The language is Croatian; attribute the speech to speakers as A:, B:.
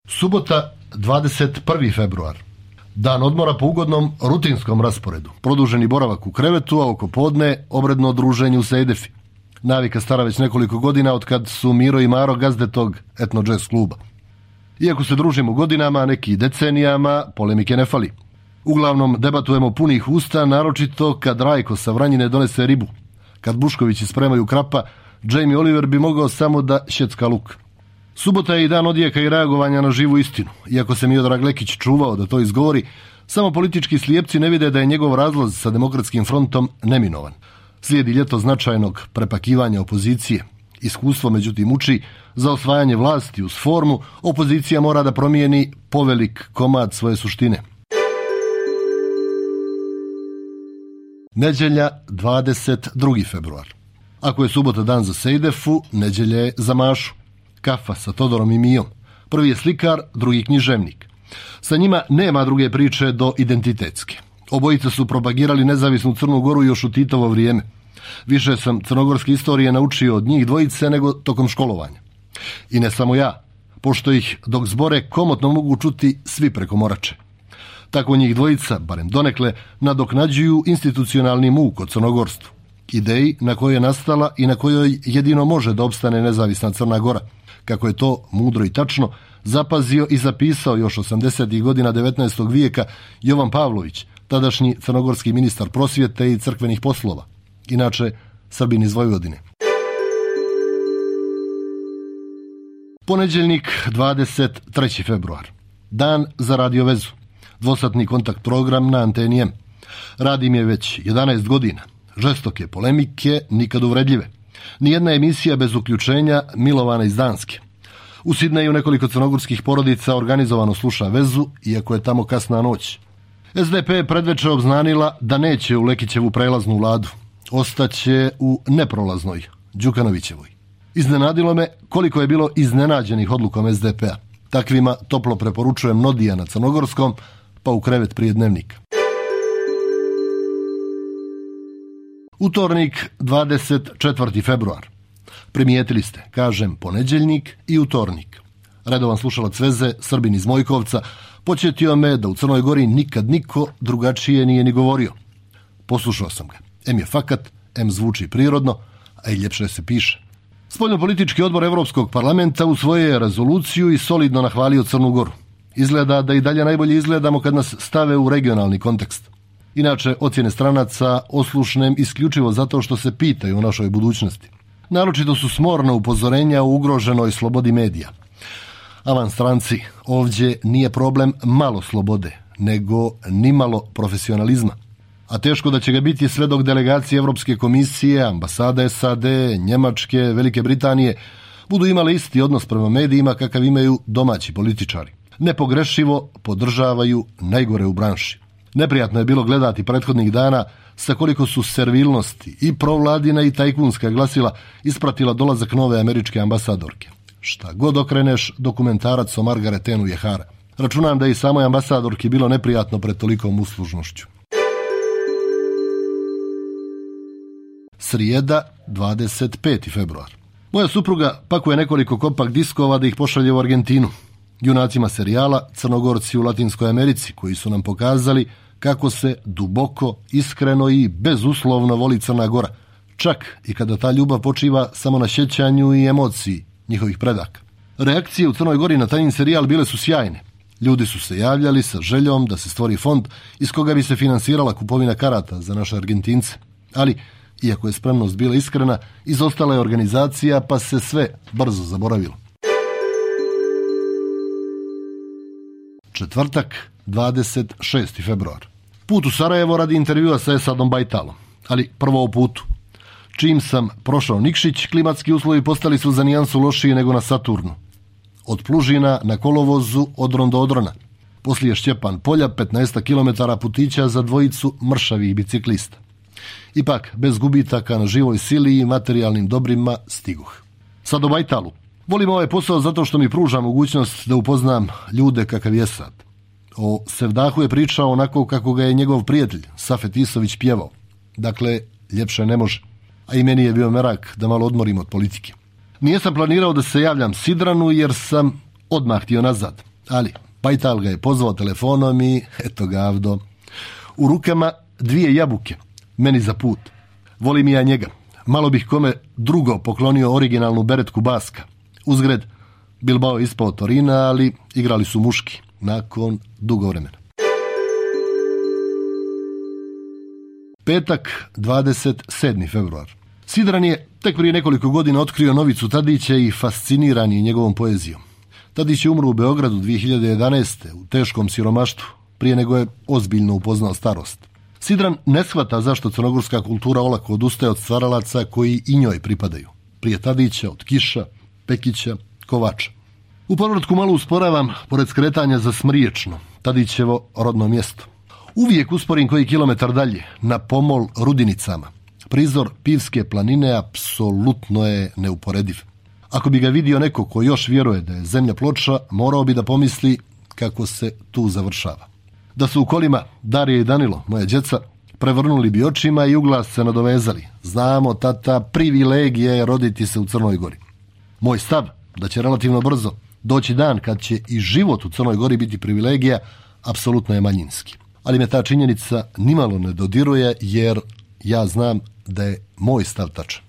A: Subota, 21. februar. Dan odmora po ugodnom rutinskom rasporedu. Produženi boravak u krevetu, a oko podne obredno druženje u Sejdefi. Navika stara već nekoliko godina od kad su Miro i Maro gazde tog etno jazz kluba. Iako se družimo godinama, neki decenijama, polemike ne fali. Uglavnom debatujemo punih usta, naročito kad Rajko sa Vranjine donese ribu. Kad Buškovići spremaju krapa, Jamie Oliver bi mogao samo da šjecka luk. Subota je i dan odjeka i reagovanja na živu istinu. Iako se Miodrag Lekić čuvao da to izgovori, samo politički slijepci ne vide da je njegov razlaz sa Demokratskim frontom neminovan. Slijedi ljeto značajnog prepakivanja opozicije. Iskustvo međutim uči, za osvajanje vlasti uz formu opozicija mora da promijeni povelik komad svoje suštine. Nedjelja, 22. februar. Ako je subota dan za Sejdefu, nedjelja je za Mašu. Kafa sa Todorom i Mijom. Prvi je slikar, drugi književnik. Sa njima nema druge priče do identitetske. Obojica su propagirali nezavisnu Crnu Goru još u Titovo vrijeme. Više sam crnogorske istorije naučio od njih dvojice nego tokom školovanja. I ne samo ja, pošto ih dok zbore komotno mogu čuti svi preko Morače. Tako njih dvojica, barem donekle, nadoknađuju institucionalni muk o crnogorstvu. Ideji na kojoj je nastala i na kojoj jedino može da opstane nezavisna Crna Gora. Kako je to mudro i tačno zapazio i zapisao još 80. godina 19. vijeka Jovan Pavlović, tadašnji crnogorski ministar prosvjete i crkvenih poslova. Inače, Srbin iz Vojvodine. Ponedjeljnik, 23. februar. Dan za radiovezu. Dvosatni kontakt program na anteni M. Radim je već 11 godina. Žestoke polemike, nikad uvredljive. Nijedna emisija bez uključenja Milovana iz Danske. U Sidneju nekoliko crnogorskih porodica organizovano sluša vezu, iako je tamo kasna noć. SDP je predveče obznanila da neće u Lekićevu prelaznu vladu. Ostaće u neprolaznoj, Đukanovićevoj. Iznenadilo me koliko je bilo iznenađenih odlukom SDP-a. Takvima toplo preporučujem Nodija na crnogorskom, pa u krevet prije Dnevnika. Utornik, 24. februar. Primijetili ste, kažem ponedjeljnik i utornik. Redovan slušalac veze, Srbin iz Mojkovca, podsjetio me da u Crnoj Gori nikad niko drugačije nije ni govorio. Poslušao sam ga. M je fakat, M zvuči prirodno, a i ljepše se piše. Spoljnopolitički odbor Evropskog parlamenta usvojio je rezoluciju i solidno nahvalio Crnu Goru. Izgleda da i dalje najbolje izgledamo kad nas stave u regionalni kontekst. Inače, ocjene stranaca oslušnem isključivo zato što se pitaju o našoj budućnosti. Naročito su smorna upozorenja o ugroženoj slobodi medija. Avan stranci, ovdje nije problem malo slobode, nego nimalo profesionalizma. A teško da će ga biti sve dok delegacije Evropske komisije, ambasade SAD, Njemačke, Velike Britanije budu imale isti odnos prema medijima kakav imaju domaći političari. Nepogrešivo podržavaju najgore u branši. Neprijatno je bilo gledati prethodnih dana sa koliko su servilnosti i provladina i tajkunska glasila ispratila dolazak nove američke ambasadorke. Šta god okreneš, dokumentarac o Margaretenu je hara. Računam da i samoj ambasadorki bilo neprijatno pred tolikom uslužnošću. Srijeda, 25. februar. Moja supruga pakuje nekoliko kompakt diskova da ih pošalje u Argentinu. Junacima serijala Crnogorci u Latinskoj Americi, koji su nam pokazali kako se duboko, iskreno i bezuslovno voli Crna Gora. Čak i kada ta ljubav počiva samo na sjećanju i emociji njihovih predaka. Reakcije u Crnoj Gori na taj serijal bile su sjajne. Ljudi su se javljali sa željom da se stvori fond iz koga bi se finansirala kupovina karata za naše Argentince. Ali, iako je spremnost bila iskrena, izostala je organizacija pa se sve brzo zaboravilo. Četvrtak, 26. februar. Put u Sarajevo radi intervjua sa Esadom Bajtalom, ali prvo o putu. Čim sam prošao Nikšić, klimatski uslovi postali su za nijansu lošiji nego na Saturnu. Od Plužina na kolovozu Odron do Odrona. Poslije Šćepan polja 15 km putića za dvojicu mršavih biciklista. Ipak, bez gubitaka na živoj sili i materijalnim dobrima stiguh. Sad o Bajtalu. Volim ovaj posao zato što mi pruža mogućnost da upoznam ljude kakav je Esad. O Sevdahu je pričao onako kako ga je njegov prijatelj Safet Isović pjevao. Dakle, ljepše ne može. A i meni je bio merak da malo odmorim od politike. Nijesam planirao da se javljam Sidranu jer sam odmah htio nazad. Ali Pajtal ga je pozvao telefonom i eto ga avdo. U rukama 2 jabuke, meni za put. Volim i ja njega. Malo bih kome drugo poklonio originalnu beretku Baska. Uzgred, Bilbao je ispao Torina, ali igrali su muški nakon dugo vremena. Petak, 27. februar. Sidran je tek prije nekoliko godina otkrio Novicu Tadića i fasciniran je njegovom poezijom. Tadić je umro u Beogradu 2011. u teškom siromaštvu, prije nego je ozbiljno upoznao starost. Sidran ne shvata zašto crnogorska kultura olako odustaje od stvaralaca koji i njoj pripadaju. Prije Tadića, od Kiša, Pekića, Kovača. U povratku malo usporavam, pored skretanja za Smriječno, Tadićevo rodno mjesto. Uvijek usporim koji kilometar dalje, na pomol Rudinicama. Prizor Pivske planine apsolutno je neuporediv. Ako bi ga vidio neko ko još vjeruje da je zemlja ploča, morao bi da pomisli kako se tu završava. Da su u kolima Darija i Danilo, moja djeca, prevrnuli bi očima i uglas se nadovezali. Znamo, tata, privilegija je roditi se u Crnoj Gori. Moj stav da će relativno brzo doći dan kad će i život u Crnoj Gori biti privilegija, apsolutno je manjinski. Ali me ta činjenica nimalo ne dodiruje jer ja znam da je moj stav tačan.